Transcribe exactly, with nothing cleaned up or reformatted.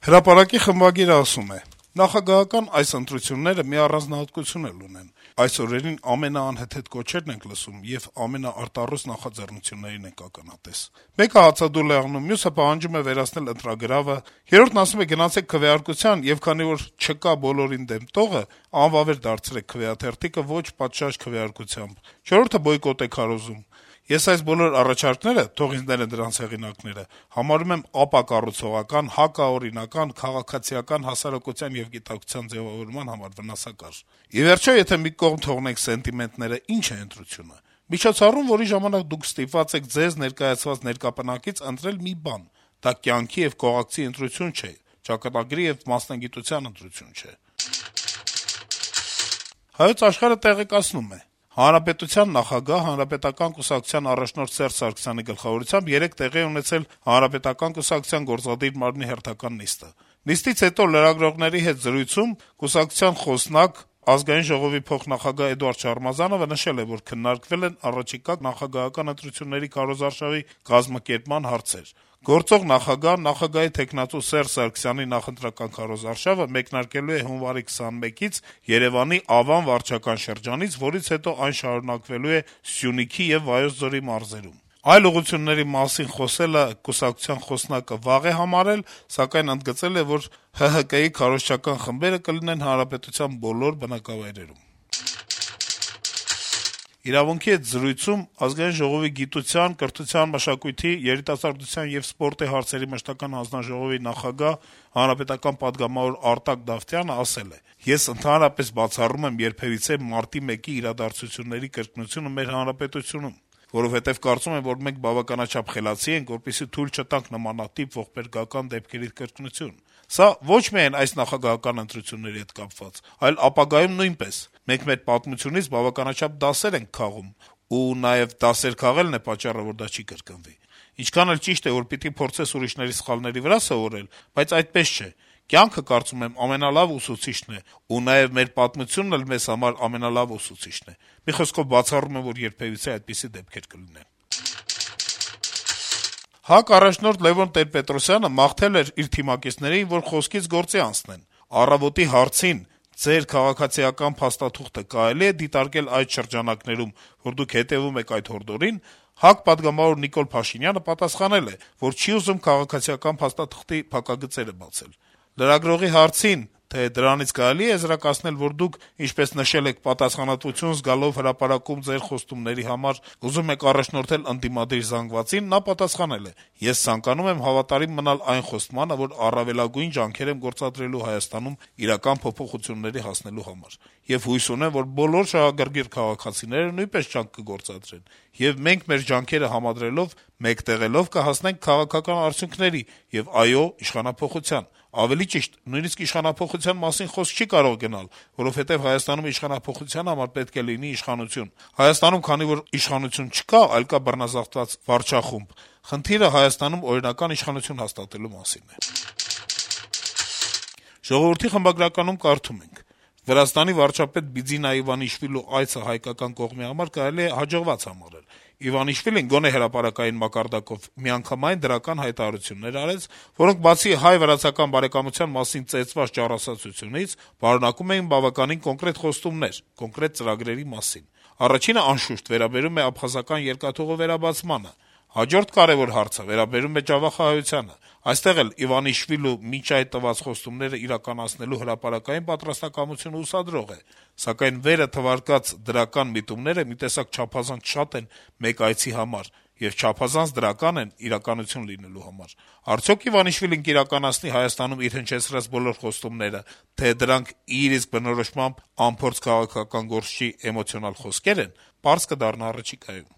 Հրապարակի խմբագիրը ասում է. - «Նախագահական այս ընտրությունները մի առանձնահատկություն էլ ունեն. այս օրերին ամենաանհեթեթ կոչերն ենք լսում եւ ամենաարտառոց նախաձեռնություններին ենք ականատես: Մեկը հացադուլ է աղնում, մյուսը պահանջում է վերացնել ընտրագրավը, երրորդն ասում է գնացեք քվեարկության, եւ քանի որ չկա բոլորին դեմ տողը, անվավեր դարձրեք քվեաթերթիկը ոչ պատշաճ քվեարկությամբ, չորրորդը բոյկոտ է քարոզում: Ես այս բոլոր առաջարկները, թող ինձ ներեն դրանց հեղինակները, համարում եմ ապակառուցողական, հակաօրինական, քաղաքացիական հասարակության եւ գիտակցության ձեւավորման համար վնասակար: Ի վերջո, եթե մի կողմ թողնենք սենտիմենտները, ի՞նչ է ընտրությունը: Միջոցառում, որի ժամանակ դուք ստիպված եք ձեզ ներկայացված ներկապնակից ընտրել մի բան: Դա կյանքի եւ կողակցի ընտրություն չէ, ճակատագրի եւ մասնագիտության ընտրություն չէ»: «Հայոց Աշխարհ»-ը տեղեկացնում է. - «Հանրապետության նախագահ, Հանրապետական կուսակցության առաջնորդ Սերժ Սարգսյանի գլխավորությամբ երեկ տեղի է ունեցել Հանրապետական կուսակցության գործադիր մարմնի հերթական նիստը: Նիստից հետո լրագրողների հետ զրույցում կուսակցության խոսնակ, Ազգային ժողովի փոխնախագահ Էդուարդ Շարմազանովը նշել է, որ քննարկվել են առաջիկա նախագահական ընտրությունների քարոզարշավի կազմակերպման հարցեր: Գործող նախագահը նախագահի թեկնածու Սերժ Սարգսյանի նախընտրական քարոզարշավը մեկնարկելու է հունվարի քսանմեկից Երեւանի Ավան վարչական շրջանից, որից հետո այն շարունակվելու է Սյունիքի եւ Վայոց ձորի մարզերում: Այլ ուղղությունների մասին խոսելը կուսակցության խոսնակը վաղ է համարել, սակայն ընդգծել է, որ ՀՀԿ-ի քարոզչական խմբերը կլինեն հանրապետության բոլոր բնակավայրերում»: «Իրավունք»-ի հետ զրույցում Ազգային ժողովի գիտության, կրթության, մշակույթի, երիտասարդության եւ սպորտի հարցերի մշտական հանձնաժողովի նախագահ, հանրապետական պատգամավոր Արտակ Դավթյանը ասել է. - «Ես ընդհանրապես բացառում եմ երբեւիցե մարտի մեկի իրադարձությունների կրկնությունը մեր հանրապետությունում, որովհետեւ կարծում եմ, որ մենք բավականաչափ խելացի ենք, որպեսզի թույլ չտանք նմանատիպ ողբերգական դեպքերի կրկնություն: Սա ոչ միայն այս նախագահական ընտրությունների հետ կապված, այլ ապագայում նույնպես: Մենք մեր պատմությունից բավականաչափ դասեր ենք քաղում, ու նաեւ դասեր քաղելն է պատճառը, որ դա չի կրկնվի: Ինչքան էլ ճիշտ է, որ պիտի փորձես ուրիշների սխալների վրա սովորել, բայց այդպես չէ: Կյանքը, կարծում եմ, ամենալավ ուսուցիչն է, ու նաեւ մեր պատմությունն էլ մեզ համար ամենալավ ուսուցիչն է: Մի խոսքով, բացառում եմ, որ երբեւիցե այդպիսի դեպքեր կլինեն»: ՀԱԿ առաջնորդ Լեւոն Տեր-Պետրոսյանը մաղթել էր իր թիմակիցներին, որ խոսքից գործի անցնեն: «Առավոտի հարցին` ձեր քաղաքացիական փաստաթուղթը կարելի՞ է դիտարկել այդ շրջանակներում, որ դուք հետեւում եք այդ հորդորին», ՀԱԿ պատգամավոր Նիկոլ Փաշինյանը պատասխանել է, որ չի ուզում քաղաքացիական փաստաթղթի փակագծերը բացել: Լրագրողի հարցին, թե դրանից կարելի՞ է եզրակացնել, որ դուք, ինչպես նշել եք, պատասխանատվություն զգալով հրապարակում ձեր խոստումների համար, ուզում եք առաջնորդել ընդդիմադիր զանգվածին, նա պատասխանել է. - «Ես ցանկանում եմ հավատարիմ մնալ այն խոստմանը, որ առավելագույն ջանքեր եմ գործադրելու Հայաստանում իրական փոփոխությունների հասնելու համար: Եվ հույս ունեմ, որ բոլոր շահագրգիռ քաղաքացիները նույնպես ջանք կգործադրեն, եւ մենք մեր ջանքերը համադրելով, մեկտեղելով կհասնենք քաղաքական արդյունքների եւ, այո, իշխանափոխության: Ավելի ճիշտ, նույնիսկ իշխանափոխության մասին խոսք չի կարող գնալ, որովհետեւ Հայաստանում իշխանափոխության համար պետք է լինի իշխանություն: Հայաստանում, քանի որ իշխանություն չկա, այլ կա բռնազավթված վարչախումբ, խնդիրը Հայաստանում օրինական իշխանություն հաստատելու մասին է»: «Ժողովուրդ»-ի խմբագրականում կարդում ենք. - «Վրաստանի վարչապետ Բիձինա Իվանիշվիլու այցը հայկական կողմի համար կարելի է հաջողված համարել: Իվանիշվիլին, գոնե հրապարակային մակարդակով, միանգամայն դրական հայտարարություններ արեց, որոնք բացի հայ-վրացական բարեկամության մասին ծեծված ճառասացությունից, պարունակում էին բավականին կոնկրետ խոստումներ, կոնկրետ ծրագրերի մասին: Առաջինը, անշուշտ, վերաբերում է աբխազական երկաթուղու վերաբացմանը: Հաջորդ կարեւոր հարցը վերաբերում է Ջավախահայությանը: Այստեղ էլ Իվանիշվիլու մինչ այդ տված խոստումները իրականացնելու հրապարակային պատրաստակամությունը հուսադրող է, սակայն վերը թվարկած դրական միտումները մի տեսակ չափազանց շատ են մեկ այցի համար եւ չափազանց դրական են իրականություն լինելու համար: Արդյո՞ք Իվանիշվիլին կիրականացնի Հայաստանում իր հնչեցրած բոլոր խոստումները, թե դրանք իր իսկ բնորոշմամբ անփորձ քաղաքական գործչի էմոցիոնալ խոսքե՞ր են, պարզ կդառնա առաջիկայում»: